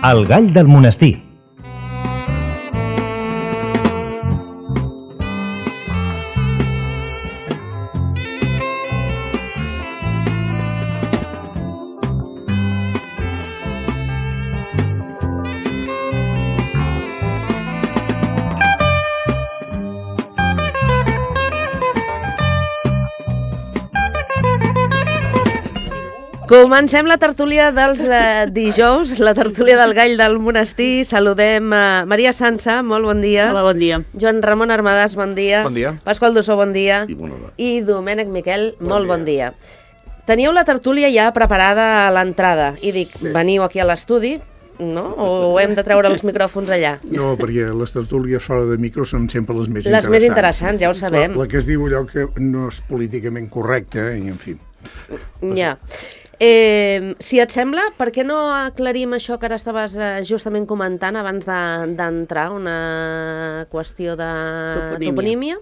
El gall del monestir. Comencem la tertúlia dels dijous, la tertúlia del gall del monestir. Saludem Maria Sansa, molt bon dia. Hola, bon dia. Joan Ramon Armadàs, bon dia. Bon dia. Pasqual Dussó, bon dia. I Domènec Miquel, molt bon dia. Teníeu la tertúlia ja preparada a l'entrada i dic, veniu aquí a l'estudi, no? O hem de treure els micròfons allà? No, perquè les tertúlies fora de micro són sempre les més interessants. Les més interessants, ja ho sabem. La que es diu allò que no és políticament correcte, i en fi. Ja. Si et sembla, per què no aclarim això que ara estaves justament comentant abans d'entrar, una qüestió de toponímia?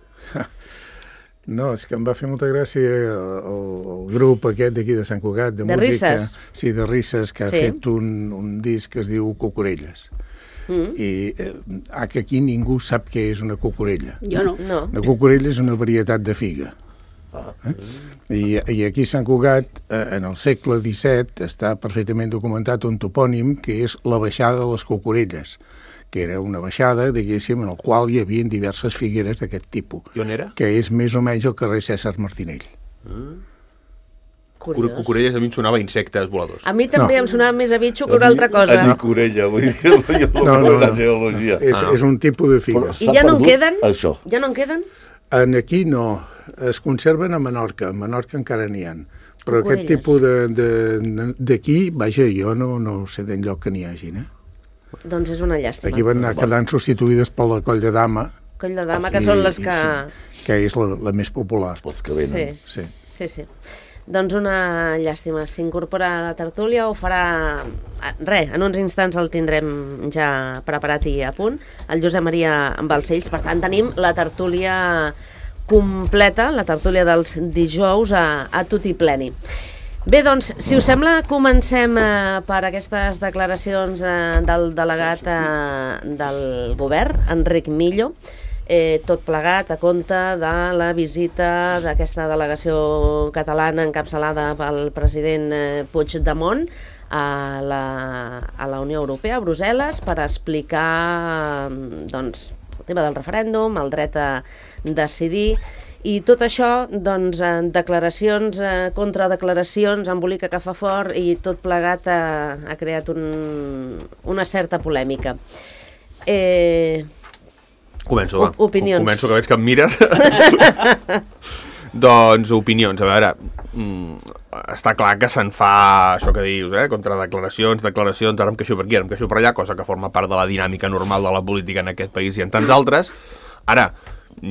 No, és que em va fer molta gràcia el grup aquest d'aquí de Sant Cugat, de música. Risses. Sí, de Risses, que ha fet un disc que es diu Cucurelles. I que aquí ningú sap què és una cucurella. Jo no. Una cucurella és una varietat de figa. I aquí a Sant Cugat, en el segle XVII, està perfectament documentat un topònim que és la baixada de les Cucurelles, que era una baixada, diguéssim, en el qual hi havia diverses figueres d'aquest tipus. I on era? Que és més o menys el carrer Cèsar Martinell. Cucurelles a mi em sonava insectes voladors. A mi també em sonava més a bitxo que una altra cosa. A mi corella, vull dir, la geologia. És un tipus de figues. I ja no en queden? Això. Ja no en queden? Aquí no. Es conserven a Menorca. A Menorca encara n'hi ha. Però aquest tipus d'aquí, vaja, jo no sé d'enlloc que n'hi hagi, Doncs és una llàstima. Aquí van anar quedant substituïdes per la Coll de Dama. Coll de Dama, que són les que... Que és la més popular. Els que venen. Sí. Doncs una llàstima. S'incorpora a la tertúlia o farà... Res, en uns instants el tindrem ja preparat i a punt. El Josep Maria Balcells. Per tant, tenim la tertúlia completa, la tertúlia dels dijous a tutti pleni. Bé, doncs, si us sembla, comencem per aquestes declaracions del delegat del govern, Enric Millo, tot plegat a compte de la visita d'aquesta delegació catalana encapçalada pel president Puigdemont a la Unió Europea, a Brussel·les, per explicar doncs, el tema del referèndum, el dret a decidir, i tot això, doncs, declaracions, contradeclaracions, embolica que fa fort, i tot plegat ha creat una certa polèmica. Començo, va. Opinions. Començo, que veig que em mires. Doncs, opinions. A veure, està clar que se'n fa això que dius, contradeclaracions, declaracions, ara em queixo per aquí, ara em queixo per allà, cosa que forma part de la dinàmica normal de la política en aquest país i en tants altres. Ara,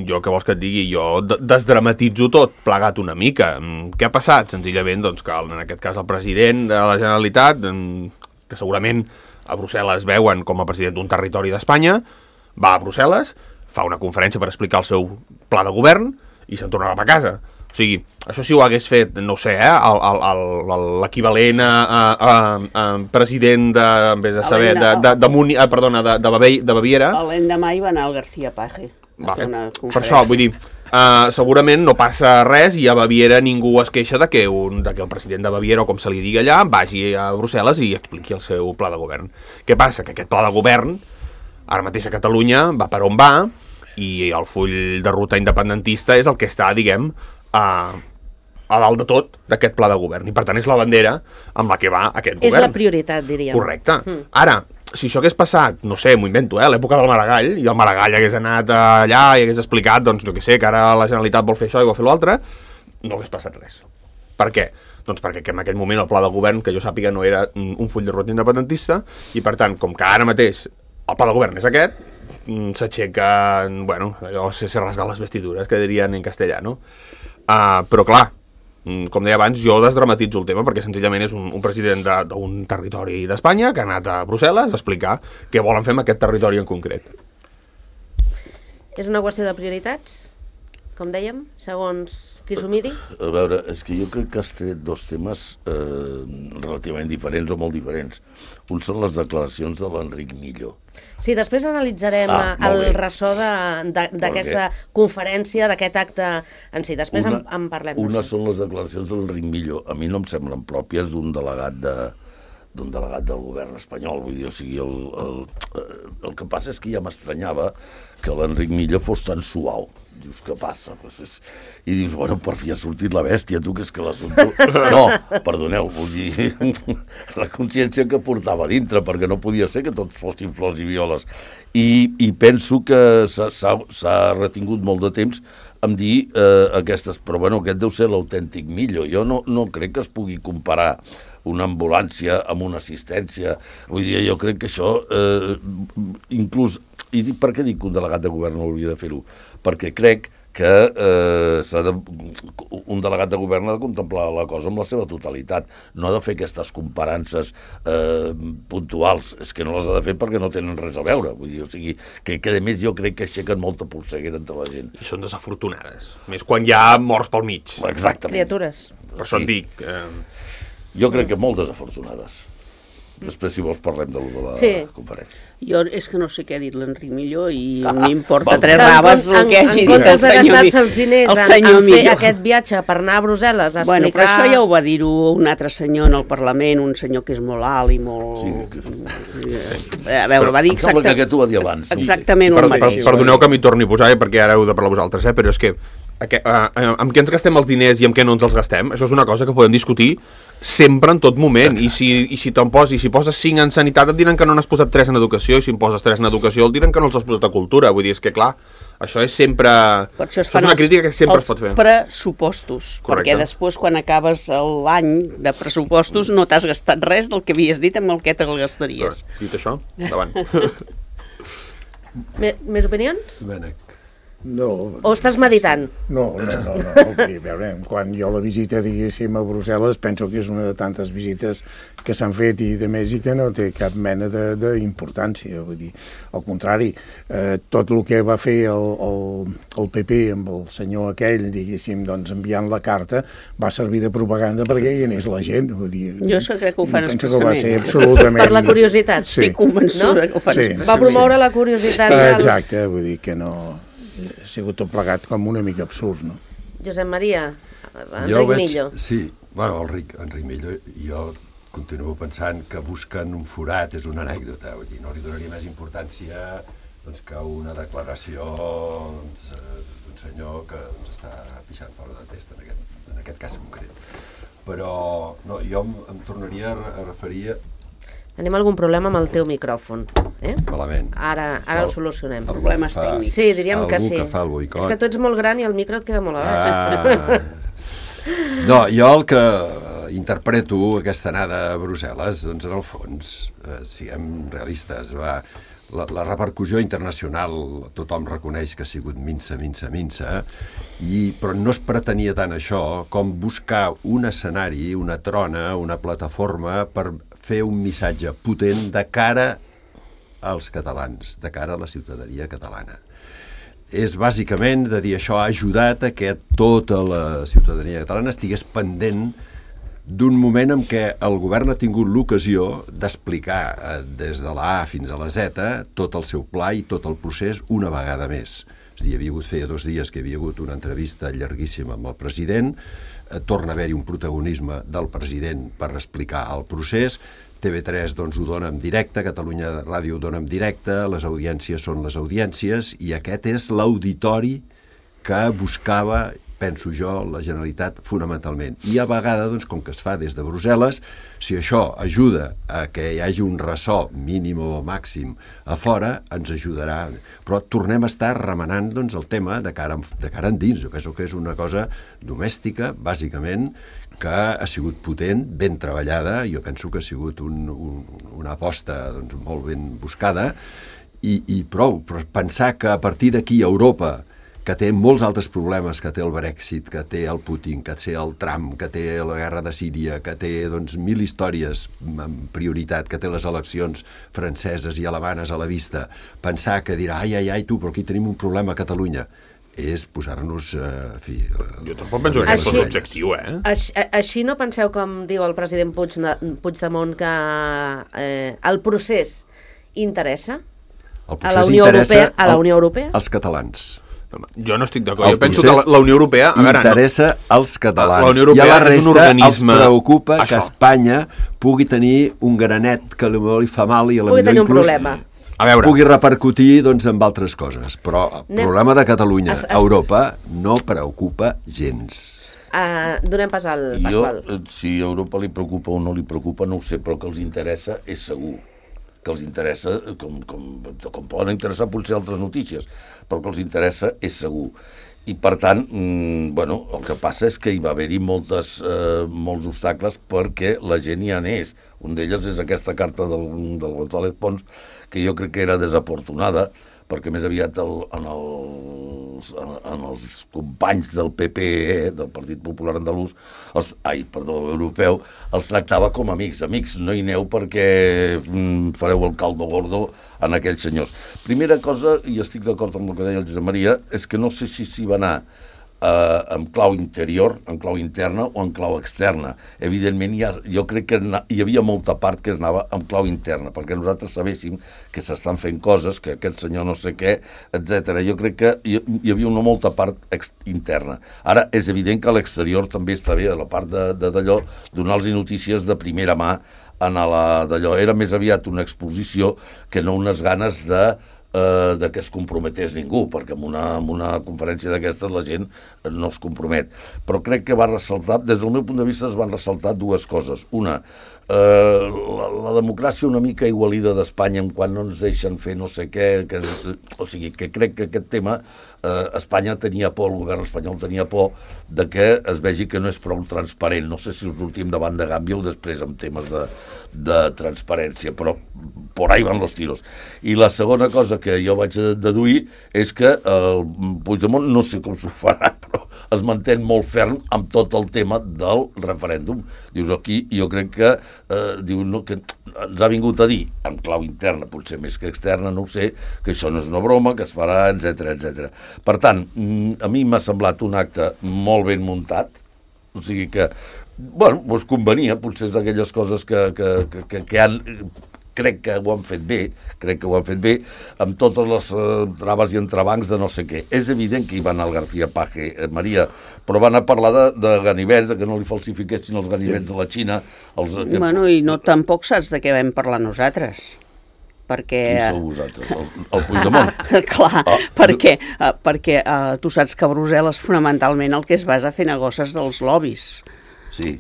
jo què vols que et digui? Jo desdramatitzo tot, plegat una mica. Què ha passat? Senzillament, doncs, que en aquest cas el president de la Generalitat, que segurament a Brussel·les veuen com a president d'un territori d'Espanya, va a Brussel·les, fa una conferència per explicar el seu pla de govern i se'n tornava a casa. O sigui, això si ho hagués fet, no sé, l'equivalent a president de Baviera. L'endemà hi va anar el García Paje. Per això, vull dir, segurament no passa res i a Baviera ningú es queixa de que el president de Baviera, o com se li digui allà, vagi a Brussel·les i expliqui el seu pla de govern. Què passa? Que aquest pla de govern, ara mateix a Catalunya, va per on va, i el full de ruta independentista és el que està, diguem, a dalt de tot d'aquest pla de govern. I per tant és la bandera amb la que va aquest govern. És la prioritat, diríem. Correcte. Ara, si això hagués passat, no sé, m'ho invento, a l'època del Maragall, i el Maragall hagués anat allà i hagués explicat, doncs, jo què sé, que ara la Generalitat vol fer això i vol fer l'altre, no hagués passat res. Per què? Doncs perquè en aquell moment el pla de govern, que jo sàpiga, no era un full de ruta independentista, i per tant, com que ara mateix el pla de govern és aquest, s'aixeca, bueno, allò se rasga les vestidures, que dirien en castellà, no? Però clar, com deia abans, jo desdramatitzo el tema perquè senzillament és un president d'un territori d'Espanya que ha anat a Brussel·les a explicar què volen fer amb aquest territori en concret. És una qüestió de prioritats? com dèiem, segons qui s'ho miri? A veure, és que jo crec que has tret dos temes relativament diferents o molt diferents. Un són les declaracions de l'Enric Millo. Sí, després analitzarem el ressò d'aquesta conferència, d'aquest acte en si. Després en parlem. Una són les declaracions de l'Enric Millo. A mi no em semblen pròpies d'un delegat del govern espanyol. Vull dir, o sigui, el que passa és que ja m'estranyava que l'Enric Millo fos tan suau. Dius, què passa? I dius, bueno, per fi ha sortit la bèstia, tu, que és que l'assumpte... No, perdoneu, vull dir, la consciència que portava dintre, perquè no podia ser que tots fossin flors i violes. I penso que s'ha retingut molt de temps em dir aquestes... Però, bueno, aquest deu ser l'autèntic Millo. Jo no crec que es pugui comparar una ambulància amb una assistència. Vull dir, jo crec que això, inclús... I per què dic que un delegat de govern no hauria de fer-ho? Perquè crec que un delegat de govern ha de contemplar la cosa amb la seva totalitat. No ha de fer aquestes comparances puntuals. És que no les ha de fer perquè no tenen res a veure. Vull dir, o sigui, que a més jo crec que aixequen molta polseguera entre la gent. I són desafortunades. Més quan hi ha morts pel mig. Exactament. Criatures. Per això et dic... Jo crec que molt desafortunades. Després, si vols, parlem de la conferència. Jo és que no sé què ha dit l'Enric Millo i m'importa tres raves el que hagi dit el senyor Millo. En comptes de gastar-se els diners en fer aquest viatge per anar a Brussel·les a explicar... Bueno, però això ja ho va dir-ho un altre senyor en el Parlament, un senyor que és molt alt i molt... A veure, va dir exactament... Em sembla que aquest ho va dir abans. Exactament el mateix. Perdoneu que m'hi torni a posar, perquè ara heu de parlar vosaltres, però és que amb què ens gastem els diners i amb què no ens els gastem, això és una cosa que podem discutir sempre, en tot moment. I si poses 5 en sanitat et diran que no n'has posat 3 en educació, i si en poses 3 en educació et diran que no els has posat a cultura. Vull dir, és que clar, això és sempre... Això és una crítica que sempre es pot fer. Els pressupostos. Correcte. Perquè després, quan acabes l'any de pressupostos, no t'has gastat res del que havies dit amb el que te'l gastaries. Dit això, endavant. Més opinions? Domènec. No. O estàs meditant? No. Veure, quan jo la visita, diguéssim, a Brussel·les, penso que és una de tantes visites que s'han fet i de més i que no té cap mena d'importància. Vull dir, al contrari, tot el que va fer el PP amb el senyor aquell, diguéssim, doncs enviant la carta, va servir de propaganda perquè hi anés la gent. Vull dir, jo crec que ho fan expressament. Penso que va ser absolutament... Per la curiositat. Sí. Estic convençuda que ho fan expressament. Va promoure la curiositat dels... Exacte, vull dir que no... Ha sigut tot plegat com una mica absurd, no? Josep Maria, Enric Millo. Sí, bueno, Enric Millo, jo continuo pensant que busquen un forat, és una anècdota, vull dir, no li donaria més importància doncs, que una declaració d'un senyor que està pixant fora de test en aquest cas concret. Però no, jo em tornaria a referir... Tenim algun problema amb el teu micròfon. Malament. Ara ho solucionem. Problemes tècnics. Sí, diríem que sí. Que fa el boicot. És que tu ets molt gran i el micro et queda molt a baix. No, jo el que interpreto aquesta anada a Brussel·les, doncs en el fons, siguem realistes, la repercussió internacional tothom reconeix que ha sigut minsa, però no es pretenia tant això com buscar un escenari, una trona, una plataforma per fer un missatge potent de cara als catalans, de cara a la ciutadania catalana. És bàsicament de dir això ha ajudat a que tota la ciutadania catalana estigués pendent d'un moment en què el govern ha tingut l'ocasió d'explicar des de la A fins a la Z tot el seu pla i tot el procés una vegada més. És a dir, feia 2 dies que hi havia hagut una entrevista llarguíssima amb el president, torna a haver-hi un protagonisme del president per explicar el procés, TV3 doncs, ho dona en directe, Catalunya Ràdio ho dona en directe, les audiències són les audiències i aquest és l'auditori que buscava, penso jo, la Generalitat fonamentalment. I a vegades, doncs, com que es fa des de Brussel·les, si això ajuda a que hi hagi un ressò mínim o màxim a fora, ens ajudarà. Però tornem a estar remenant doncs, el tema de cara endins. Jo penso que és una cosa domèstica, bàsicament, que ha sigut potent, ben treballada, jo penso que ha sigut una aposta doncs, molt ben buscada, i prou. Però pensar que a partir d'aquí Europa, que té molts altres problemes, que té el Brexit, que té el Putin, que té el Trump, que té la guerra de Síria, que té doncs, 1000 històries amb prioritat, que té les eleccions franceses i alemanes a la vista, pensar que dirà, ai, tu, però aquí tenim un problema a Catalunya. és posar-nos... Jo tampoc penso que aquest és l'objectiu, Així no penseu, com diu el president Puigdemont, que el procés interessa a la Unió Europea? Als catalans. Jo no estic d'acord. Jo penso que la Unió Europea... interessa als catalans. La Unió Europea I a la resta és un organisme... els preocupa que Espanya pugui tenir un granet que li fa mal i a la millor inclús pugui repercutir amb altres coses. Però el problema de Catalunya a Europa no preocupa gens. Donem pas al Pasqual. Si a Europa li preocupa o no li preocupa, no ho sé, però que els interessa és segur. Que els interessa, com poden interessar potser altres notícies, però que els interessa és segur. I per tant, el que passa és que hi va haver-hi molts obstacles perquè la gent hi anés. Un d'ells és aquesta carta del González Pons, que jo crec que era desafortunada, perquè més aviat en els companys del PP, del Partit Popular Andalús, europeu, els tractava com amics. Amics, no hi aneu perquè fareu el caldo gordo en aquells senyors. Primera cosa, i estic d'acord amb el que deia el Josep Maria, és que no sé si s'hi va anar en clau interior, en clau interna o en clau externa. Evidentment, jo crec que hi havia molta part que es anava en clau interna, perquè nosaltres sabéssim que s'estan fent coses, que aquest senyor no sé què, etc. Jo crec que hi havia una molta part interna. Ara, és evident que a l'exterior també està bé, a la part d'allò, donar-los notícies de primera mà d'allò. Era més aviat una exposició que no unes ganes de que es comprometés ningú, perquè en una conferència d'aquestes la gent no es compromet. Però crec que va ressaltar, des del meu punt de vista es van ressaltar dues coses. Una, la democràcia una mica igualida d'Espanya en quan no ens deixen fer no sé què, o sigui, que crec que aquest tema Espanya tenia por, el govern espanyol tenia por de que es vegi que no és prou transparent. No sé si us sortim davant de Gàmbia o després amb temes de transparència, però por ahí van los tiros. I la segona cosa que jo vaig deduir és que el Puigdemont, no sé com s'ho farà, però es manté molt ferm amb tot el tema del referèndum. Dius, aquí jo crec que que ens ha vingut a dir, en clau interna, potser més que externa, no ho sé, que això no és una broma, que es farà, etc. Per tant, a mi m'ha semblat un acte molt ben muntat, o sigui que, doncs convenia, potser és d'aquelles coses que han... crec que ho han fet bé, amb totes les traves i entrebancs de no sé què. És evident que hi va anar el García Page, Maria, però van a parlar de ganivets, que no li falsifiquessin els ganivets de la Xina. I no tampoc saps de què vam parlar nosaltres. Perquè... Qui sou vosaltres? El Puigdemont? Clar, perquè tu saps que a Brussel·les fonamentalment el que es basa a fer negocis dels lobbies. Sí.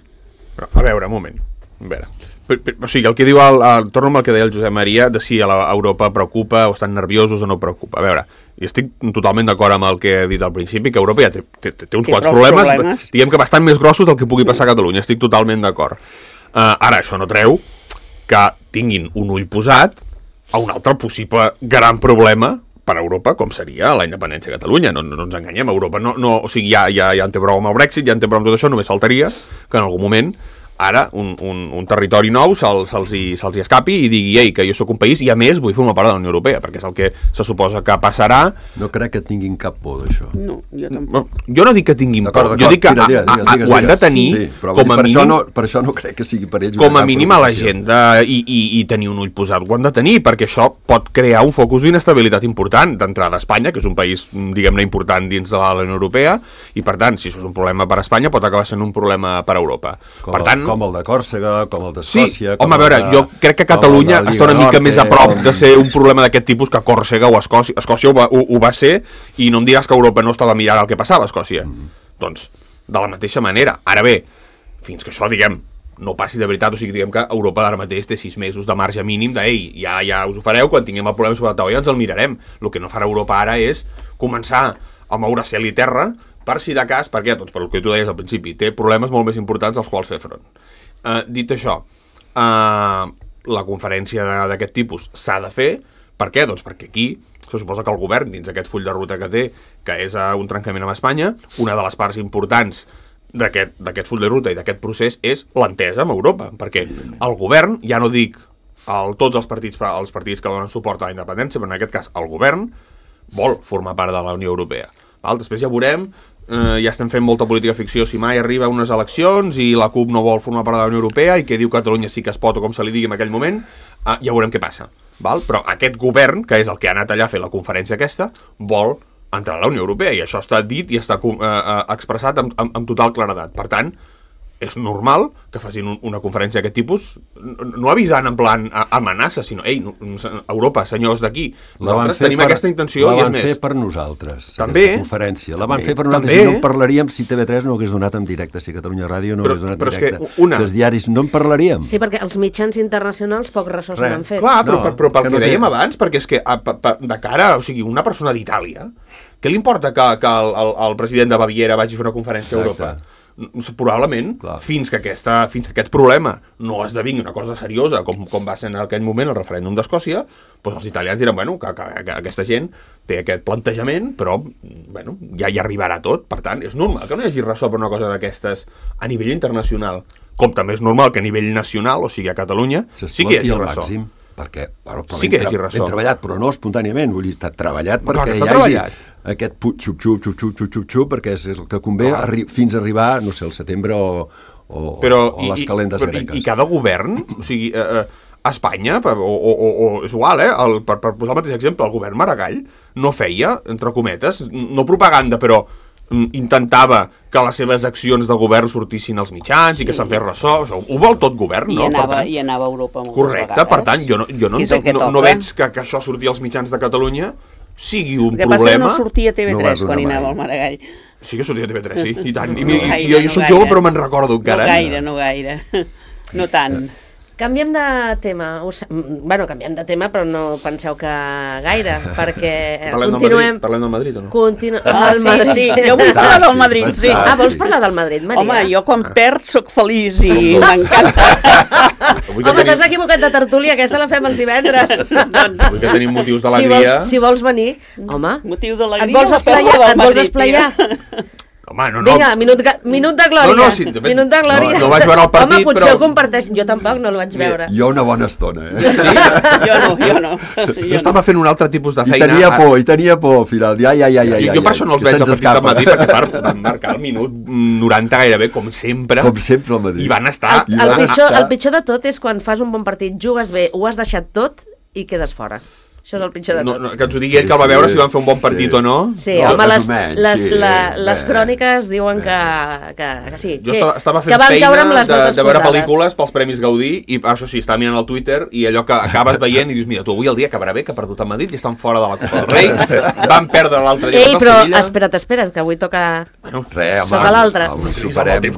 Però, a veure, un moment. O sigui, el que diu, torno amb el que deia el Josep Maria, de si a Europa preocupa o estan nerviosos o no preocupa. A veure, jo estic totalment d'acord amb el que he dit al principi, que Europa ja té uns quants problemes, diguem que bastant més grossos del que pugui passar a Catalunya, estic totalment d'acord. Ara, això no treu que tinguin un ull posat a un altre possible gran problema per a Europa, com seria la independència de Catalunya. No ens enganyem, Europa o sigui, ja en té prou amb el Brexit, ja en té prou amb tot això, només faltaria que en algun moment ara un territori nou se'ls hi escapi i digui, ei, que jo sóc un país i a més vull formar part de la Unió Europea, perquè és el que se suposa que passarà. No crec que tinguin cap por d'això. No, jo tampoc. Jo no dic que tinguin por, jo dic que ho han de tenir com a mínim... Per això no crec que sigui per ells com a mínim a l'agenda i tenir un ull posat. Ho han de tenir, perquè això pot crear un focus d'inestabilitat important d'entrada a Espanya, que és un país, diguem-ne, important dins de la Unió Europea, i per tant, si això és un problema per a Espanya, pot acabar sent un problema per a Europa. Per tant, com el de Còrsega, com el d'Escòcia... Sí, home, a veure, jo crec que Catalunya està una mica més a prop de ser un problema d'aquest tipus que Còrsega o Escòcia. Escòcia ho va ser, i no em diràs que Europa no estava mirant el que passava a Escòcia. Doncs, de la mateixa manera. Ara bé, fins que això, diguem, no passi de veritat, o sigui, diguem que Europa ara mateix té 6 mesos de marge mínim de, ei, ja us ho fareu, quan tinguem el problema sobre la taula ja ens el mirarem. El que no farà Europa ara és començar a moure cel i terra per si de cas, per què? Doncs per el que tu deies al principi, té problemes molt més importants als quals fer front. Dit això, la conferència d'aquest tipus s'ha de fer. Per què? Doncs perquè aquí se suposa que el govern, dins aquest full de ruta que té, que és un trencament amb Espanya, una de les parts importants d'aquest full de ruta i d'aquest procés és l'entesa amb Europa, perquè el govern, ja no dic tots els partits que donen suport a la independència, però en aquest cas el govern vol formar part de la Unió Europea. Després ja veurem, ja estem fent molta política ficció, si mai arriba a unes eleccions i la CUP no vol formar part de la Unió Europea i que diu Catalunya sí que es pot o com se li digui en aquell moment, ja veurem què passa. Val? Però aquest govern, que és el que ha anat allà a fer la conferència aquesta, vol entrar a la Unió Europea i això està dit i està expressat amb total claredat. Per tant, és normal que facin una conferència d'aquest tipus, no avisant en plan amenaça, sinó, ei, Europa, senyors d'aquí, nosaltres tenim aquesta intenció i és més. La van fer per nosaltres, també, aquesta conferència. La van fer per nosaltres i no en parlaríem si TV3 no hagués donat en directe, si Catalunya Ràdio no hagués donat en directe. Si els diaris no en parlaríem. Sí, perquè els mitjans internacionals poc ressò se n'han fet. Clar, però pel que dèiem abans, perquè és que de cara, o sigui, una persona d'Itàlia, què li importa que el president de Baviera vagi a fer una conferència a Europa? Probablement, fins que aquest problema no esdevingui una cosa seriosa, com va ser en aquell moment el referèndum d'Escòcia, doncs els italians diran, bueno, que aquesta gent té aquest plantejament, però bueno, ja hi arribarà tot. Per tant, és normal que no hi hagi ressò per una cosa d'aquestes a nivell internacional, com també és normal que a nivell nacional, o sigui a Catalunya, sí que hi hagi ressò. Perquè, bueno, sí que hi hagi ressò. Ben treballat, però no espontàniament, vull dir, està treballat perquè hi hagi aquest xup-xup, perquè és el que convé fins a arribar, no sé, el setembre o les calendes gregues. I cada govern, o sigui, a Espanya, o és igual, per posar el mateix exemple, el govern Maragall no feia, entre cometes, no propaganda, però intentava que les seves accions de govern sortissin als mitjans i que se'n fes ressò. Ho vol tot govern, no? I anava a Europa moltes vegades. Correcte, per tant, jo no veig que això surti als mitjans de Catalunya sigui un problema. El que passa que no sortia a TV3 quan hi anava el Maragall. Sí que sortia a TV3, sí, i tant. Jo soc jove però me'n recordo encara. No gaire. No tant. Canviem de tema. Bueno, canviem de tema, però no penseu que gaire, perquè continuem... Parlem del Madrid o no? Sí, jo vull parlar del Madrid, sí. Vols parlar del Madrid, Maria? Home, jo quan perd soc feliç i m'encanta. Home, t'has equivocat de tertúlia, aquesta la fem els divendres. Avui que tenim motius d'alegria... Si vols venir, home... Motiu d'alegria... Et vols esplaiar? Home, no. Vinga, minut de glòria. Minut de glòria. No vaig veure el partit, home, potser ho comparteix. Jo tampoc no el vaig veure. Jo una bona estona, Jo no. Jo estava fent un altre tipus de feina. I tenia por, al final. Jo per això no els veig al partit del Madrid, perquè van marcar el minut 90 gairebé, com sempre. Com sempre al Madrid. I van estar... El pitjor de tot és quan fas un bon partit, jugues bé, ho has deixat tot i quedes fora. Això és el pitjor de tot. Que ens ho digui ell, que el va veure si van fer un bon partit o no. Sí, home, les cròniques diuen que sí. Jo estava fent feina de veure pel·lícules pels Premis Gaudí i això sí, estava mirant el Twitter i allò que acabes veient i dius, mira, tu avui el dia acabarà bé, que ha perdut el Madrid i estan fora de la Copa del Rei, van perdre l'altre dia. Ei, però espera't, que avui toca l'altre. Superem.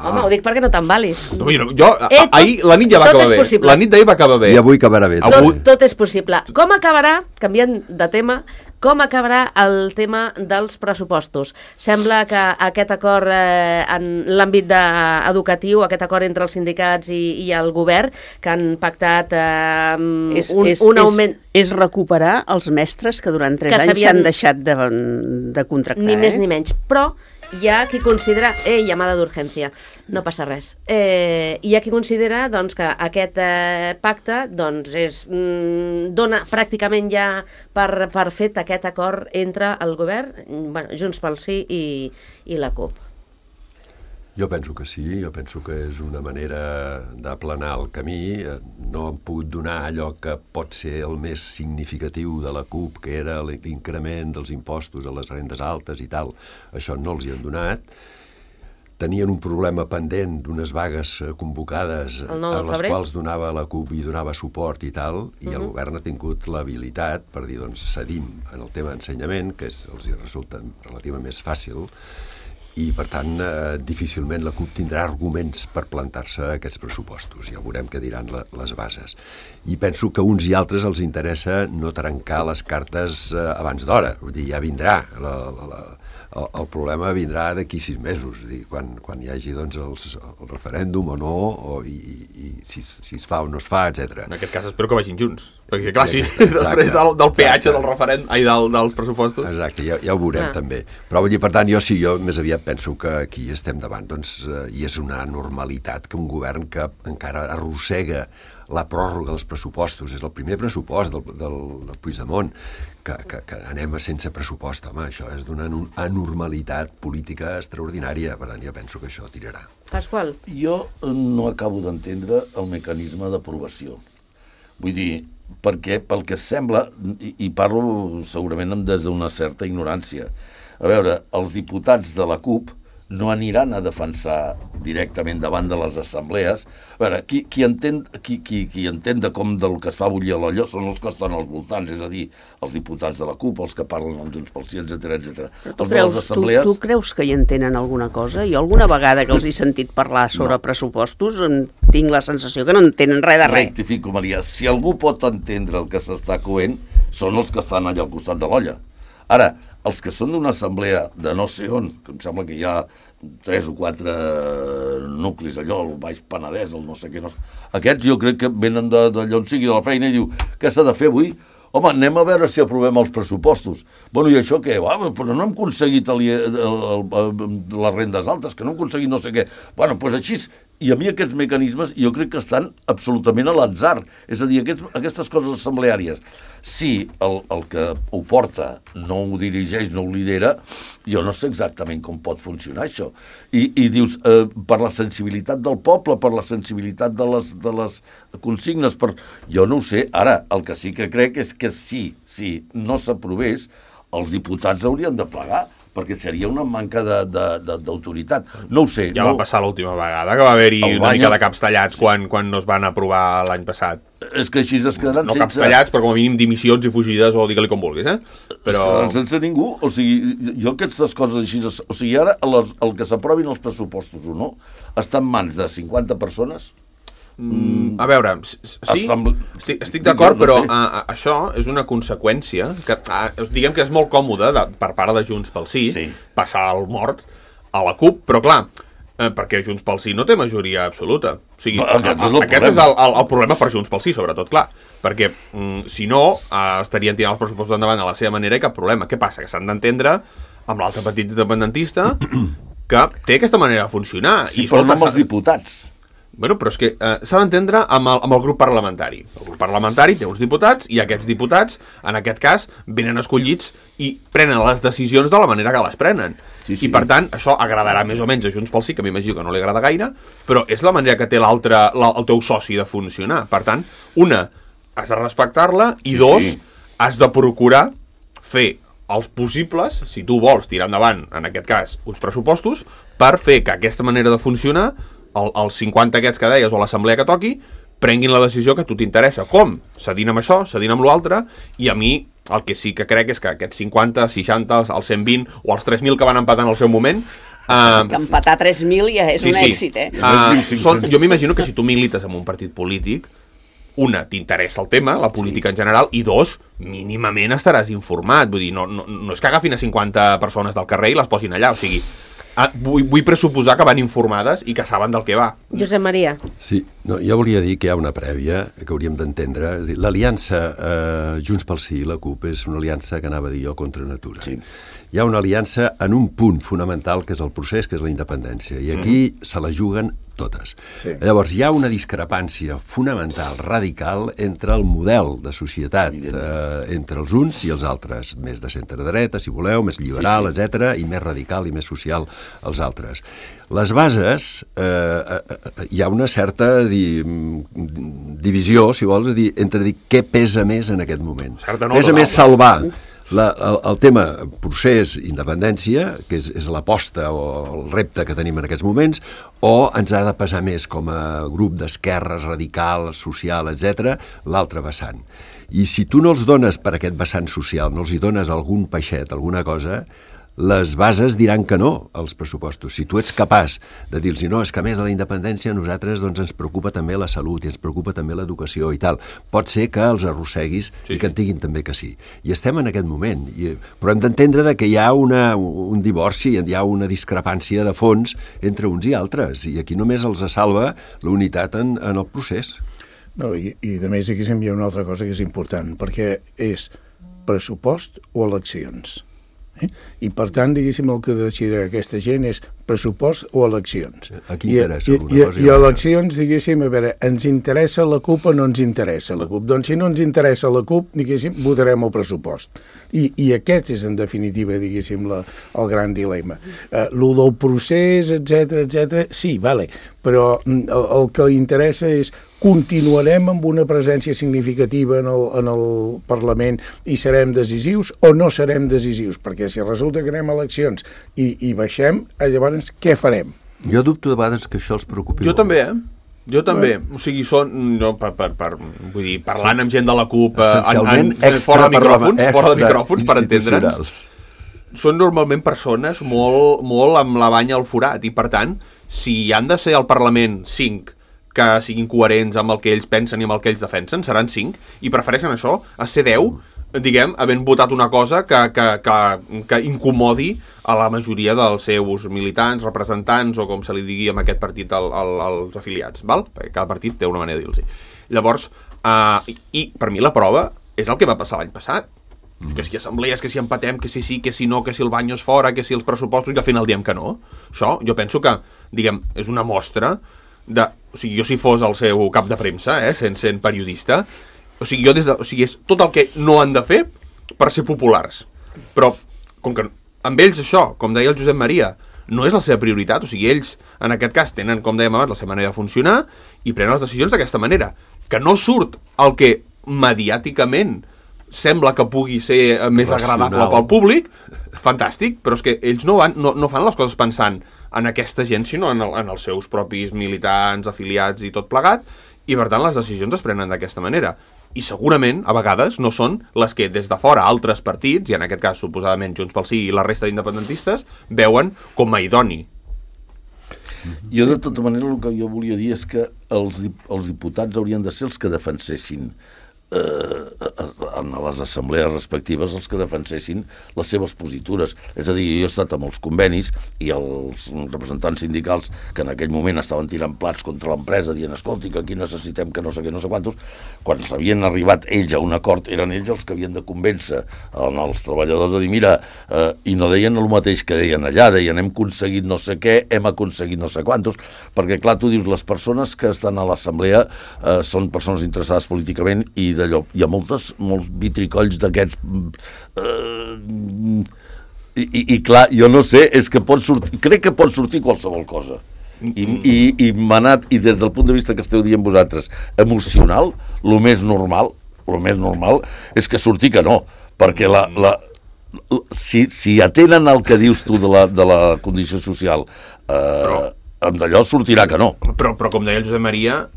Home, ho dic perquè no t'envalis. Jo, ahir la nit ja va acabar bé. La nit d'ahir va acabar bé. I avui acabarà bé. Tot és possible. Com acabarà, canviant de tema, com acabarà el tema dels pressupostos? Sembla que aquest acord en l'àmbit educatiu, aquest acord entre els sindicats i el govern, que han pactat un augment... És recuperar els mestres que durant 3 anys s'han deixat de contractar. Ni més ni menys. Però hi ha qui considera... llamada d'urgència. No passa res. Hi ha qui considera doncs, que aquest pacte doncs, dona pràcticament ja per fet aquest acord entre el govern, Junts pel Sí i la CUP. Jo penso que sí, jo penso que és una manera d'aplanar el camí. No han pogut donar allò que pot ser el més significatiu de la CUP, que era l'increment dels impostos a les rendes altes i tal. Això no els hi han donat. Tenien un problema pendent d'unes vagues convocades a les quals donava la CUP i donava suport i tal, i el govern ha tingut l'habilitat per dir, doncs, cedim en el tema d'ensenyament, que els resulta relativament més fàcil, i, per tant, difícilment la CUP tindrà arguments per plantar-se a aquests pressupostos. Ja veurem què diran les bases. I penso que a uns i altres els interessa no trencar les cartes abans d'hora. Vull dir, ja vindrà. El problema vindrà d'aquí 6 mesos, quan hi hagi doncs, el referèndum o no, i si es fa o no es fa, etc. En aquest cas espero que vagin junts, perquè clar, sí, després del peatge del referèndum, dels pressupostos... Exacte, ja ho veurem també. Però vull dir, per tant, jo més aviat penso que aquí estem davant, doncs, i és una normalitat que un govern que encara arrossega la pròrroga dels pressupostos. És el primer pressupost del Puigdemont, que anem sense pressupost. Home, això és d'una anormalitat política extraordinària. Per tant, jo penso que això tirarà. Pasqual? Jo no acabo d'entendre el mecanisme d'aprovació. Vull dir, perquè pel que sembla, i parlo segurament des d'una certa ignorància, a veure, els diputats de la CUP no aniran a defensar directament davant de les assemblees. A veure, qui entén de com del que es fa bullir a l'olla són els que estan als voltants, és a dir, els diputats de la CUP, els que parlen amb Junts pel Sí, etc. Tu creus que hi entenen alguna cosa? Jo alguna vegada que els he sentit parlar sobre pressupostos tinc la sensació que no entenen res de res. Rectifico, Maria, si algú pot entendre el que s'està coent, són els que estan allà al costat de l'olla. Ara, els que són d'una assemblea de no sé on, que em sembla que hi ha 3 o 4 nuclis allò, el Baix Penedès, el no sé què, aquests jo crec que venen d'allà on sigui de la feina i diu, què s'ha de fer avui? Home, anem a veure si aprovem els pressupostos. Bueno, i això què? Però no hem aconseguit les rendes altes, que no hem aconseguit no sé què. Bueno, doncs així, i a mi aquests mecanismes jo crec que estan absolutament a l'atzar. És a dir, aquestes coses assembleàries, si el que ho porta no ho dirigeix, no ho lidera, jo no sé exactament com pot funcionar això. I dius, per la sensibilitat del poble, per la sensibilitat de les consignes, jo no ho sé. Ara, el que sí que crec és que si no s'aprovés, els diputats haurien de plegar, perquè seria una manca d'autoritat. No ho sé. Ja va passar l'última vegada, que va haver-hi una mica de caps tallats quan no es van aprovar l'any passat. És que així es quedaran sense... No caps tallats, però com a mínim dimissions i fugides, o digue-li com vulguis, eh? Però... Es quedaran sense ningú. O sigui, jo aquestes coses així... O sigui, ara el que s'aprovin els pressupostos o no està en mans de 50 persones... A veure, sí, estic d'acord, però això és una conseqüència que, diguem que és molt còmode per part de Junts pel Sí, passar el mort a la CUP, però clar, perquè Junts pel Sí no té majoria absoluta. O sigui, aquest és el problema per Junts pel Sí, sobretot, clar, perquè si no, estarien tirant els pressupostos endavant a la seva manera i cap problema. Què passa? Que s'han d'entendre amb l'altre partit independentista que té aquesta manera de funcionar. Sí, però no amb els diputats. Bueno, però és que s'ha d'entendre amb el grup parlamentari. El grup parlamentari té uns diputats i aquests diputats, en aquest cas, venen escollits i prenen les decisions de la manera que les prenen. Sí. I per tant, això agradarà més o menys a Junts pel Sí, que m'imagino que no li agrada gaire, però és la manera que té el teu soci de funcionar. Per tant, una, has de respectar-la i dos, has de procurar fer els possibles, si tu vols tirar endavant, en aquest cas, uns pressupostos, per fer que aquesta manera de funcionar els 50 aquests que deies o l'assemblea que toqui prenguin la decisió que a tu t'interessa. Com? Cedint amb això, cedint amb l'altre, i a mi el que sí que crec és que aquests 50, 60, els 120 o els 3.000 que van empatar en el seu moment... que empatar 3.000 ja és un èxit, eh? Jo m'imagino que si tu milites en un partit polític, una, t'interessa el tema, la política en general, i dos, mínimament estaràs informat. Vull dir, no és que agafin a 50 persones del carrer i les posin allà, o sigui... Vull pressuposar que van informades i que saben del que va. Josep Maria. Sí, jo volia dir que hi ha una prèvia que hauríem d'entendre. L'aliança Junts pel Sí i la CUP és una aliança que anava a dir jo contra natura. Sí. Hi ha una aliança en un punt fonamental, que és el procés, que és la independència. I aquí se la juguen totes. Sí. Llavors, hi ha una discrepància fonamental, radical, entre el model de societat, entre els uns i els altres, més de centre-dreta, si voleu, més liberal, etc., i més radical i més social els altres. Les bases, hi ha una certa divisió, si vols, entre dir què pesa més en aquest moment. Pesa més salvar el tema procés, independència, que és l'aposta o el repte que tenim en aquests moments, o ens ha de pesar més com a grup d'esquerres, radical, social, etc., l'altre vessant. I si tu no els dones per aquest vessant social, no els hi dones algun peixet, alguna cosa, les bases diran que no als pressupostos. Si tu ets capaç de dir-los no, és que a més de la independència a nosaltres ens preocupa també la salut i ens preocupa també l'educació i tal, pot ser que els arrosseguis i que et diguin també que sí. I estem en aquest moment. Però hem d'entendre que hi ha un divorci, hi ha una discrepància de fons entre uns i altres, i aquí només els salva la unitat en el procés. No, i a més aquí hi ha una altra cosa que és important, perquè és pressupost o eleccions. I, per tant, diguéssim, el que decidirà aquesta gent és pressupost o eleccions. A qui interessa alguna cosa? I eleccions, diguéssim, a veure, ens interessa la CUP o no ens interessa la CUP? Doncs si no ens interessa la CUP, diguéssim, votarem el pressupost. I aquest és, en definitiva, diguéssim, el gran dilema. Lo del procés, etc, sí, vale, però el que interessa és continuarem amb una presència significativa en el Parlament i serem decisius o no serem decisius, perquè si resulta que anem a eleccions i baixem, llavors què farem? Jo dubto de vegades que això els preocupi. Jo també, Jo també. O sigui, vull dir, parlant amb gent de la CUP fora de micròfons, per entendre'ns, són normalment persones molt amb la banya al forat i, per tant, si han de ser al Parlament 5 que siguin coherents amb el que ells pensen i amb el que ells defensen, seran 5, i prefereixen això a ser 10, diguem, havent votat una cosa que incomodi a la majoria dels seus militants, representants, o com se li digui en aquest partit als afiliats, val? Perquè cada partit té una manera de dir-los. Llavors, i per mi la prova és el que va passar l'any passat. Que si assemblees, que si empatem, que si sí, que si no, que si el Baños fora, que si els pressupostos, i al final diem que no. Això, jo penso que, diguem, és una mostra de... O sigui, jo si fos el seu cap de premsa, sent periodista, o sigui, és tot el que no han de fer per ser populars. Però, com que amb ells això, com deia el Josep Maria, no és la seva prioritat, o sigui, ells, en aquest cas, tenen, com dèiem abans, la seva manera de funcionar i prenen les decisions d'aquesta manera. Que no surt el que mediàticament sembla que pugui ser més agradable pel públic, fantàstic, però és que ells no fan les coses pensant en aquesta gent, sinó en els seus propis militants, afiliats i tot plegat, i per tant les decisions es prenen d'aquesta manera. I segurament, a vegades, no són les que des de fora altres partits, i en aquest cas suposadament Junts pel Sí i la resta d'independentistes, veuen com a idoni. Jo, de tota manera, el que jo volia dir és que els diputats haurien de ser els que defensessin en les assemblees respectives els que defensessin les seves positures. És a dir, jo he estat amb els convenis i els representants sindicals que en aquell moment estaven tirant plats contra l'empresa dient, escolti, que aquí necessitem que no sé què, no sé quantos, quan s'havien arribat ells a un acord, eren ells els que havien de convèncer els treballadors de dir, mira, i no deien el mateix que deien allà, deien hem aconseguit no sé què, hem aconseguit no sé quantos, perquè clar, tu dius, les persones que estan a l'assemblea són persones interessades políticament i d'allò, hi ha molts vitricolls d'aquests i clar, jo no sé, és que crec que pot sortir qualsevol cosa i m'ha anat, i des del punt de vista que esteu dient vosaltres, emocional, el més normal és que surti que no, perquè si atenen el que dius tu de la condició social amb d'allò sortirà que no. Però com deia el Josep Maria,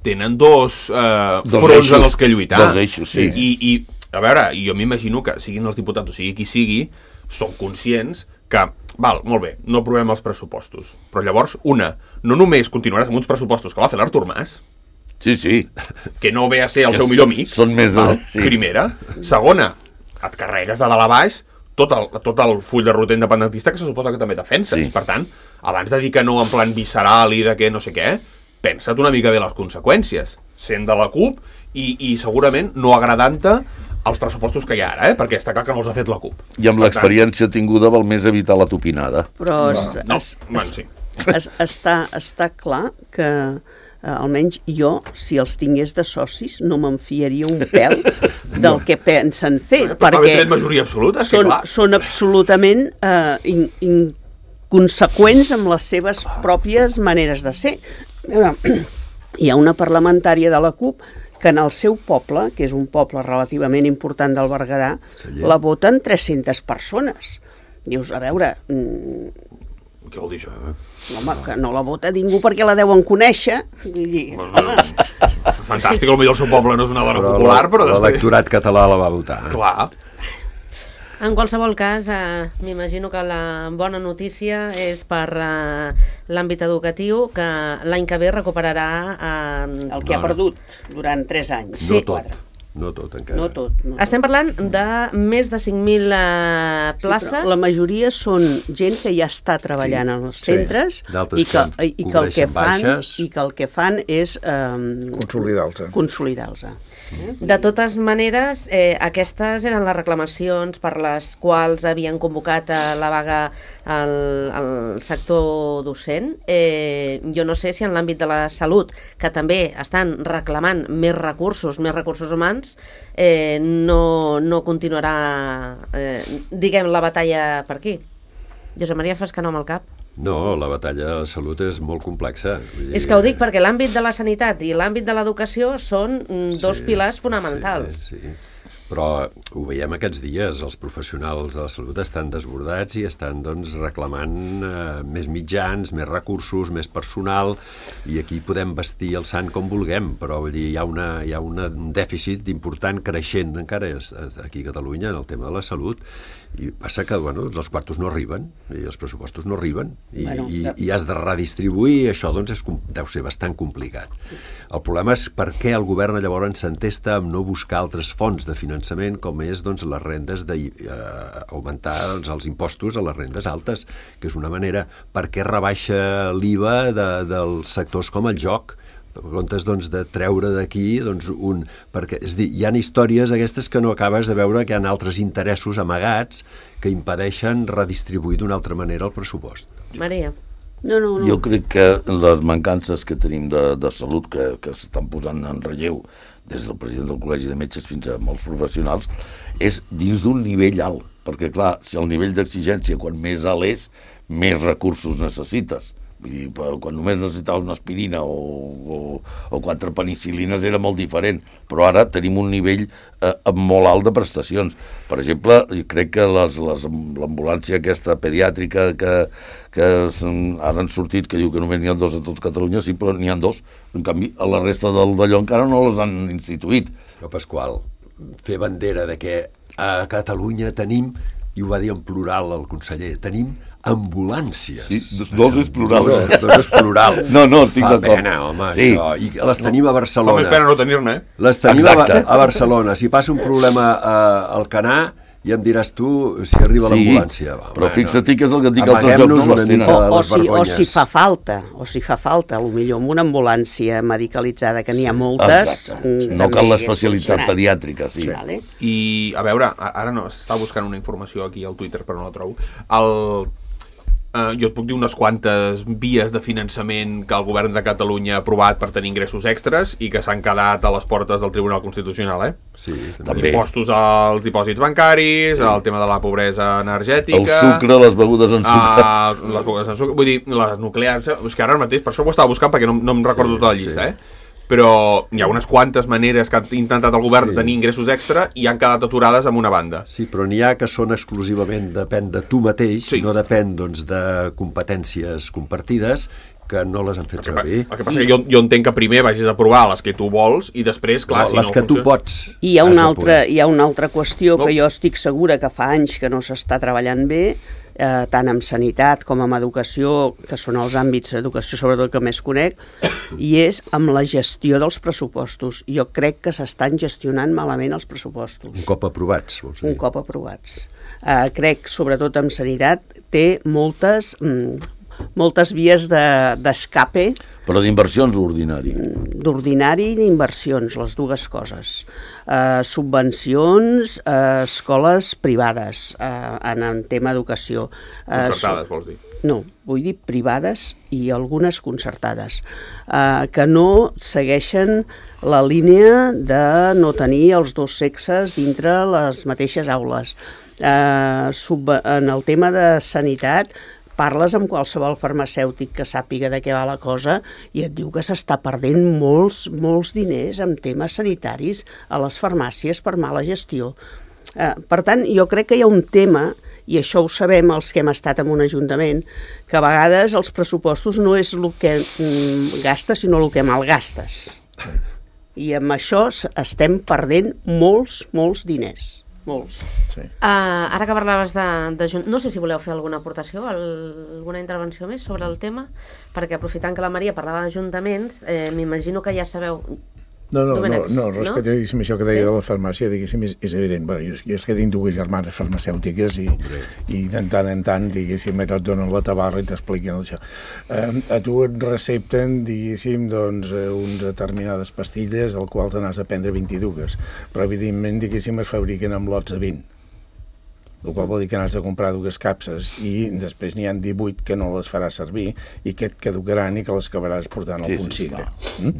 tenen dos fronts en els que lluitar. Dos eixos, sí. I a veure, jo m'imagino que siguin els diputats, o sigui qui sigui, són conscients que, val, molt bé, no aprovem els pressupostos. Però llavors, no només continuaràs amb uns pressupostos que va fer l'Artur Mas, sí, que no ve a ser el seu millor amic, són més primera. Segona, et carregues de dalt a baix tot el full de ruta independentista que se suposa que també defenses. Sí. Per tant, abans de dir que no en plan visceral i de que no sé què, pensa't una mica bé les conseqüències. Sent de la CUP i segurament no agradant-te els pressupostos que hi ha ara, perquè està clar que no els ha fet la CUP. I amb l'experiència tinguda val més evitar la tupinada. Però sí. Està clar que almenys jo, si els tingués de socis, no me'n fiaria un pèl del que pensen fer, perquè majoria absoluta, són absolutament inconseqüents amb les seves pròpies maneres de ser. Hi ha una parlamentària de la CUP que en el seu poble, que és un poble relativament important del Berguedà, la voten 300 persones. Dius, a veure... Què vol dir això? Home, que no la vota ningú perquè la deuen conèixer. Fantàstic, potser el seu poble no és una dona popular, però... L'electorat català la va votar. Clar. En qualsevol cas, m'imagino que la bona notícia és per l'àmbit educatiu, que l'any que ve recuperarà... el que ha perdut durant 3 anys. Sí. No tot, encara. No tot. No Estem parlant de més de 5.000 places. Sí, la majoria són gent que ja està treballant als centres d'altres i que el que fan és consolidar-los. De totes maneres, aquestes eren les reclamacions per les quals havien convocat la vaga al sector docent. Jo no sé si en l'àmbit de la salut, que també estan reclamant més recursos humans, no continuarà, diguem, la batalla per aquí. Josep Maria, fas que no amb el cap. No, la batalla de la salut és molt complexa. És que ho dic perquè l'àmbit de la sanitat i l'àmbit de l'educació són dos pilars fonamentals. Sí. Però ho veiem aquests dies, els professionals de la salut estan desbordats i estan reclamant més mitjans, més recursos, més personal, i aquí podem vestir el sant com vulguem, però vull dir, hi ha un dèficit important creixent encara aquí a Catalunya en el tema de la salut, i passa que els quartos no arriben i els pressupostos no arriben i has de redistribuir, i això deu ser bastant complicat. El problema és per què el govern llavors s'entesta en no buscar altres fonts de finançament, com és les rendes d'augmentar els impostos a les rendes altes, que és una manera. Per què rebaixa l'IVA dels sectors com el joc, en comptes de treure d'aquí perquè, és a dir, hi ha històries aquestes que no acabes de veure, que hi ha altres interessos amagats que impedeixen redistribuir d'una altra manera el pressupost. Maria. No. Jo crec que les mancances que tenim de salut, que s'estan posant en relleu des del president del Col·legi de Metges fins a molts professionals, és dins d'un nivell alt, perquè clar, si el nivell d'exigència quan més alt és, més recursos necessites. Vull dir, quan només necessitava una aspirina o 4 penicil·lines era molt diferent, però ara tenim un nivell molt alt de prestacions. Per exemple, jo crec que l'ambulància aquesta pediàtrica que ara han sortit, que diu que només n'hi ha 2 a tot Catalunya, sí, però n'hi ha 2. En canvi, a la resta d'allò encara no les han instituït. Però Pasqual, fer bandera de que a Catalunya tenim, i ho va dir en plural el conseller, tenim ambulàncies. Sí, dos és plural. Dos és plural. No, estic d'acord. Fa pena, home, sí. Això. I les tenim a Barcelona. Fa més pena no tenir-ne, Les tenim a Barcelona. Si passa un problema al Canà, ja em diràs tu si arriba l'ambulància. Però fixa't que és el que et dic, altres llocs no les tenen. O si fa falta, potser amb una ambulància medicalitzada, que n'hi ha moltes... No cal l'especialitat pediàtrica, sí. I, a veure, ara no, estava buscant una informació aquí al Twitter, però no la trobo. Jo et puc dir unes quantes vies de finançament que el govern de Catalunya ha aprovat per tenir ingressos extras i que s'han quedat a les portes del Tribunal Constitucional, Sí, també. Impostos als dipòsits bancaris, el tema de la pobresa energètica... El sucre, les begudes en sucre... Les begudes en sucre, vull dir, les nuclears... És que ara mateix, per això ho estava buscant, perquè no em recordo tota la llista, però hi ha unes quantes maneres que ha intentat el govern tenir ingressos extra i han quedat aturades amb una banda. Sí, però n'hi ha que són exclusivament, depèn de tu mateix, no depèn de competències compartides, que no les han fet servir. El que passa que jo entenc que primer vagis a provar les que tu vols i després, clar, les que tu pots. I hi ha una altra qüestió que jo estic segura que fa anys que no s'està treballant bé, tant en sanitat com en educació, que són els àmbits d'educació sobretot que més conec, i és amb la gestió dels pressupostos. Jo crec que s'estan gestionant malament els pressupostos. Un cop aprovats, vols dir? Un cop aprovats. Crec, sobretot en sanitat, té moltes vies d'escape. Però d'inversions o ordinari? D'ordinari i d'inversions, les dues coses. Subvencions a escoles privades en tema educació. Concertades, vols dir? No, vull dir privades i algunes concertades, que no segueixen la línia de no tenir els dos sexes dintre les mateixes aules. En el tema de sanitat, parles amb qualsevol farmacèutic que sàpiga de què va la cosa i et diu que s'està perdent molts diners en temes sanitaris a les farmàcies per mala gestió. Per tant, jo crec que hi ha un tema, i això ho sabem els que hem estat en un ajuntament, que a vegades els pressupostos no és el que gastes, sinó el que malgastes. I amb això estem perdent molts diners. Molts. Ara que parlaves de... No sé si voleu fer alguna aportació, alguna intervenció més sobre el tema, perquè aprofitant que la Maria parlava d'ajuntaments, m'imagino que ja sabeu... No, respecte a això que deia de la farmàcia, diguéssim, és evident. Bueno, jo és que tinc dues germanes farmacèutiques i de tant en tant, diguéssim, et donen la tabarra i t'expliquen això. A tu et recepten, diguéssim, doncs, unes determinades pastilles, al qual te n'has de prendre 22, però evidentment, diguéssim, es fabriquen amb lots de 20. El qual vol dir que n'has de comprar dues capses i després n'hi ha 18 que no les faràs servir i que et caducaran i que les acabaràs portant al punt sigre.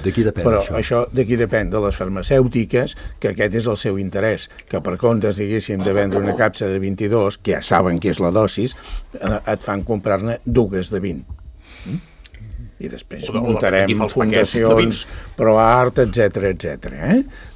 D'aquí depèn Però això d'aquí depèn de les farmacèutiques, que aquest és el seu interès, que per comptes, diguéssim, de vendre una capsa de 22, que ja saben que és la dosis, et fan comprar-ne dues de 20. I després muntarem fundacions ProArt, etc.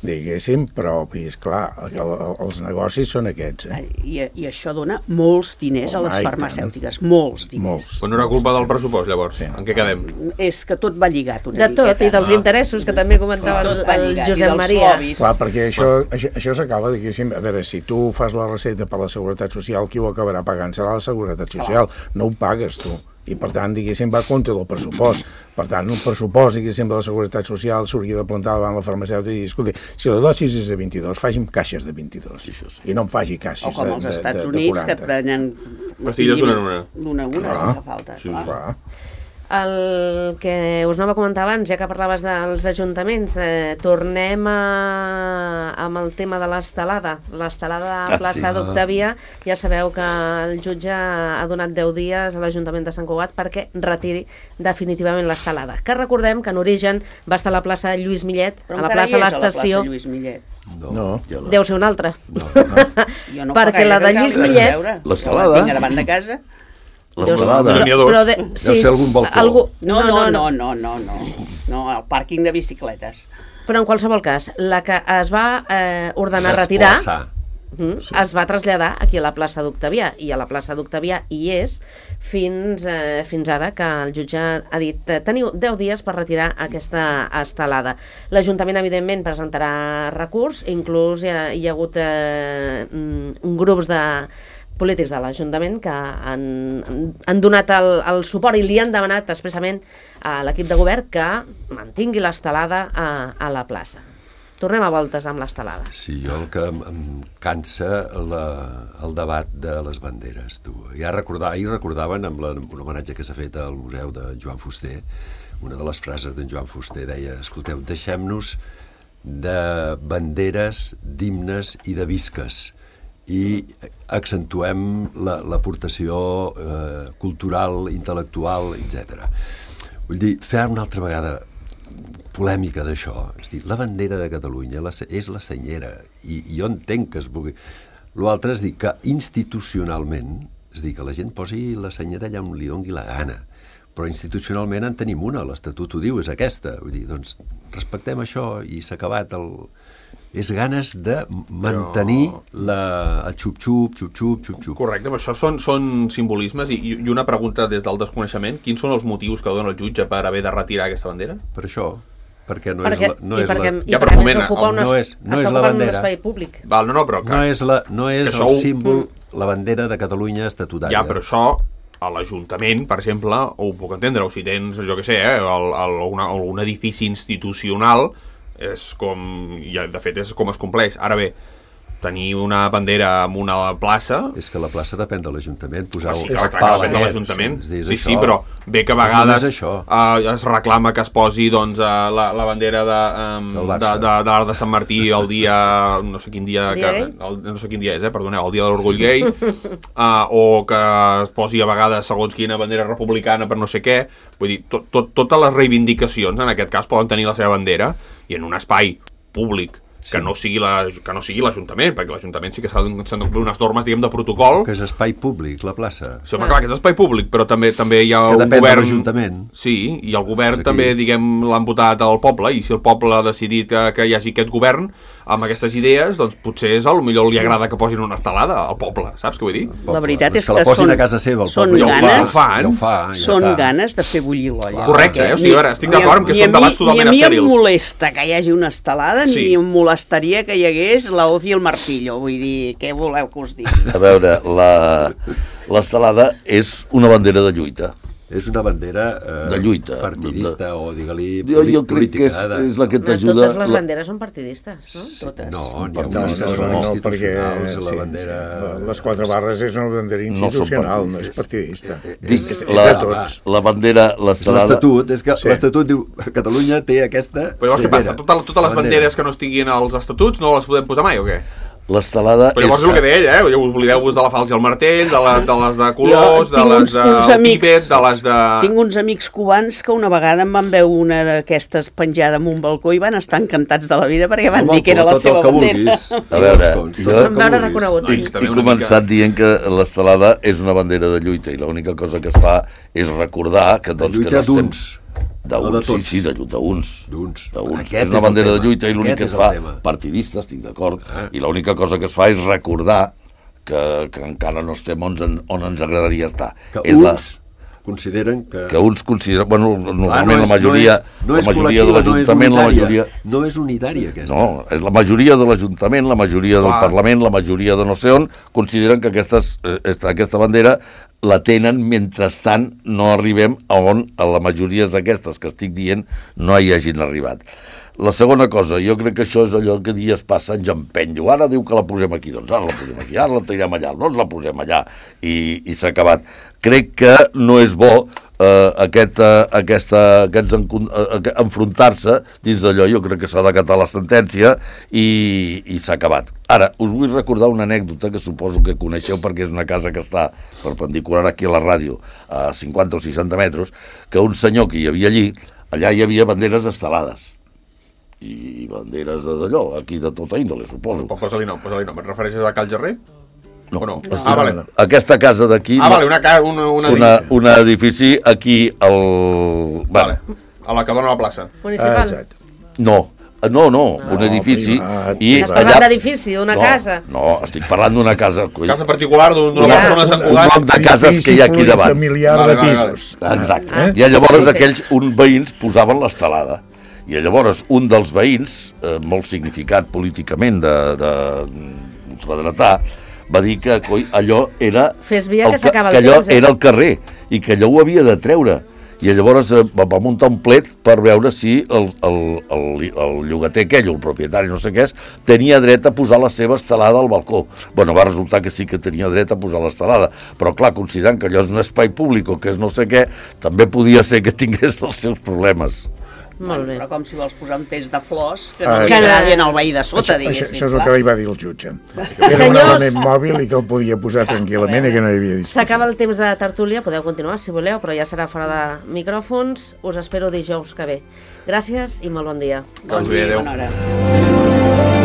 Diguéssim, però, esclar, els negocis són aquests. I això dona molts diners a les farmacèutiques, molts diners. Però no era culpa del pressupost, llavors? En què quedem? És que tot va lligat una miqueta. De tot, i dels interessos, que també comentava el Josep Maria. Clar, perquè això s'acaba, diguéssim, a veure, si tu fas la recepta per la Seguretat Social, qui ho acabarà pagant serà la Seguretat Social, no ho pagues tu. I, per tant, diguéssim, va contra del pressupost. Per tant, un pressupost, diguéssim, de la Seguretat Social s'hauria de plantar davant la farmacèutica i dir, escolta, si la dosis és de 22, faci'm caixes de 22. I no em faci caixes de 40. O com als Estats Units, que et prenen... Pastilles d'una. D'una, si fa falta. Clar. El que us anava a comentar abans, ja que parlaves dels ajuntaments, tornem amb el tema de l'estelada. L'estelada a plaça d'Octavià, ja sabeu que el jutge ha donat 10 dies a l'Ajuntament de Sant Cugat perquè retiri definitivament l'estelada. Que recordem que en origen va estar a la plaça Lluís Millet, a la plaça l'Estació. No. Deu ser una altra. No. Perquè la de Lluís Millet... L'estelada. La tinc davant de casa. L'estelada. Deu ser algun balcó. No, el pàrquing de bicicletes. Però en qualsevol cas, la que es va ordenar retirar es va traslladar aquí a la plaça d'Octavià, i a la plaça d'Octavià hi és fins ara, que el jutge ha dit teniu 10 dies per retirar aquesta estelada. L'Ajuntament, evidentment, presentarà recurs, inclús hi ha hagut grups de polítics de l'Ajuntament que han donat el suport i li han demanat expressament a l'equip de govern que mantingui l'estelada a la plaça. Tornem a voltes amb l'estelada. Sí, jo el que em cansa el debat de les banderes. Ahir recordaven, amb un homenatge que s'ha fet al Museu de Joan Fuster, una de les frases d'en Joan Fuster deia, escolteu, deixem-nos de banderes, d'himnes i de visques, i accentuem l'aportació cultural, intel·lectual, etc. Vull dir, fer una altra vegada polèmica d'això, és dir, la bandera de Catalunya és la senyera, i jo entenc que es vulgui. L'altre és dir que institucionalment, és dir, que la gent posi la senyera allà on li doni la gana, però institucionalment en tenim una, l'Estatut ho diu, és aquesta. Vull dir, doncs respectem això i s'ha acabat és ganes de mantenir el xup-xup. Correcte, però això són simbolismes i una pregunta des del desconeixement. Quins són els motius que dona el jutge per haver de retirar aquesta bandera? Per això, perquè no és la bandera. Espai públic. Val, però no és el símbol, la bandera de Catalunya estatutària. Ja, però això a l'Ajuntament, per exemple, ho puc entendre, o si tens, jo què sé, un edifici institucional, és com, de fet és com es compleix. Ara bé, tenir una bandera en una plaça... És que la plaça depèn de l'Ajuntament, posar el pal depèn de l'Ajuntament. Sí, però bé que a vegades es reclama que es posi la bandera de l'Arc de Sant Martí el dia... no sé quin dia és, perdoneu, el dia de l'Orgull Gai, o que es posi a vegades segons quina bandera republicana per no sé què. Vull dir, totes les reivindicacions en aquest cas poden tenir la seva bandera i en un espai públic que no sigui l'Ajuntament, perquè l'Ajuntament sí que s'han de complir unes normes, diguem, de protocol. Que és espai públic, la plaça. Sí, home, clar, que és espai públic, però també hi ha un govern... Que depèn de l'Ajuntament. Sí, i el govern també, diguem, l'han votat al poble, i si el poble ha decidit que hi hagi aquest govern amb aquestes idees, doncs potser potser li agrada que posin una estelada al poble, saps què vull dir? La veritat és que la posin a casa seva, el poble són ganes de fer bullir l'olla. Correcte, o sigui, estic d'acord amb que són debats totalment estèrils. Ni a mi em molesta que hi hagi una estelada, ni em molestaria que hi hagués la hoz i el martillo, vull dir, què voleu que us digui? A veure, l'estelada és una bandera de lluita. és una bandera de lluita, partidista o, digue-li, jo crec que és la que t'ajuda... Totes les banderes són partidistes, no? Totes. No, n'hi ha unes que són institucionals, la bandera... Les 4 barres és una bandera institucional, no és partidista. La bandera, l'estelada... L'estatut, és que l'estatut diu Catalunya té aquesta Però llavors què passa? Totes les banderes que no estiguin als estatuts no les podem posar mai o què? L'estelada... Però llavors és el que deia ell, oblideu-vos de la falç i el martell, de les de colors, de les de Tíbet, de les de... Tinc uns amics cubans que una vegada em van veure una d'aquestes penjada en un balcó i van estar encantats de la vida perquè van dir que era la seva bandera. A veure, jo he començat dient que l'estelada és una bandera de lluita i l'única cosa que es fa és recordar que... De lluita d'uns. Sí, d'uns. És una bandera de lluita i l'únic que es fa, partidista, estic d'acord, i l'única cosa que es fa és recordar que encara no estem on ens agradaria estar. Que uns consideren que... Que uns consideren... Bueno, normalment la majoria de l'Ajuntament, la majoria... No és unitària, aquesta. No, és la majoria de l'Ajuntament, la majoria del Parlament, la majoria de no sé on, consideren que aquesta bandera la tenen, mentrestant no arribem a on a la majoria d'aquestes que estic dient no hi hagin arribat. La segona cosa, jo crec que això és allò que dies passa en empenyo. Ara diu que la posem aquí, doncs ara la posem aquí, ara la tirem allà, doncs la posem allà, i s'ha acabat. Crec que no és bo enfrontar-se dins d'allò. Jo crec que s'ha d'acatar la sentència i s'ha acabat. Ara, us vull recordar una anècdota que suposo que coneixeu perquè és una casa que està perpendicular aquí a la ràdio, a 50 o 60 metres, que un senyor que hi havia allà hi havia banderes estelades i banderes d'allò, aquí de tota índole, suposo. Posa-li nom. Et refereixes a Cal Gerrer? No. O no? Vale. Aquesta casa d'aquí... vale, un edifici aquí al... Vale, a la que dona la plaça. Municipal? No, un edifici... I estàs parlant d'edifici, d'una casa? No, estic parlant d'una casa... Casa particular d'una persona de Sant Cugat. Un bloc de cases que hi ha aquí davant. Familiar de pisos. Exacte. I llavors uns veïns posaven l'estelada. I llavors un dels veïns, molt significat políticament d'ultradretà, va dir que allò era... Fes via que s'acaba el temps. Que allò era el carrer i que allò ho havia de treure. I llavors va muntar un plet per veure si el llogater aquell, el propietari, no sé què és, tenia dret a posar la seva estelada al balcó. Bueno, va resultar que sí que tenia dret a posar l'estelada, però clar, considerant que allò és un espai públic o que és no sé què, també podia ser que tingués els seus problemes. Molt bé. Però com si vols posar un peix de flors que no li agradien al veí de sota, diguéssim. Això és el que li va dir el jutge. Era un element mòbil i que el podia posar tranquil·lament i que no hi havia discussió. S'acaba el temps de tertúlia, podeu continuar si voleu, però ja serà fora de micròfons. Us espero dijous que ve. Gràcies i molt bon dia. Bon dia, bona hora.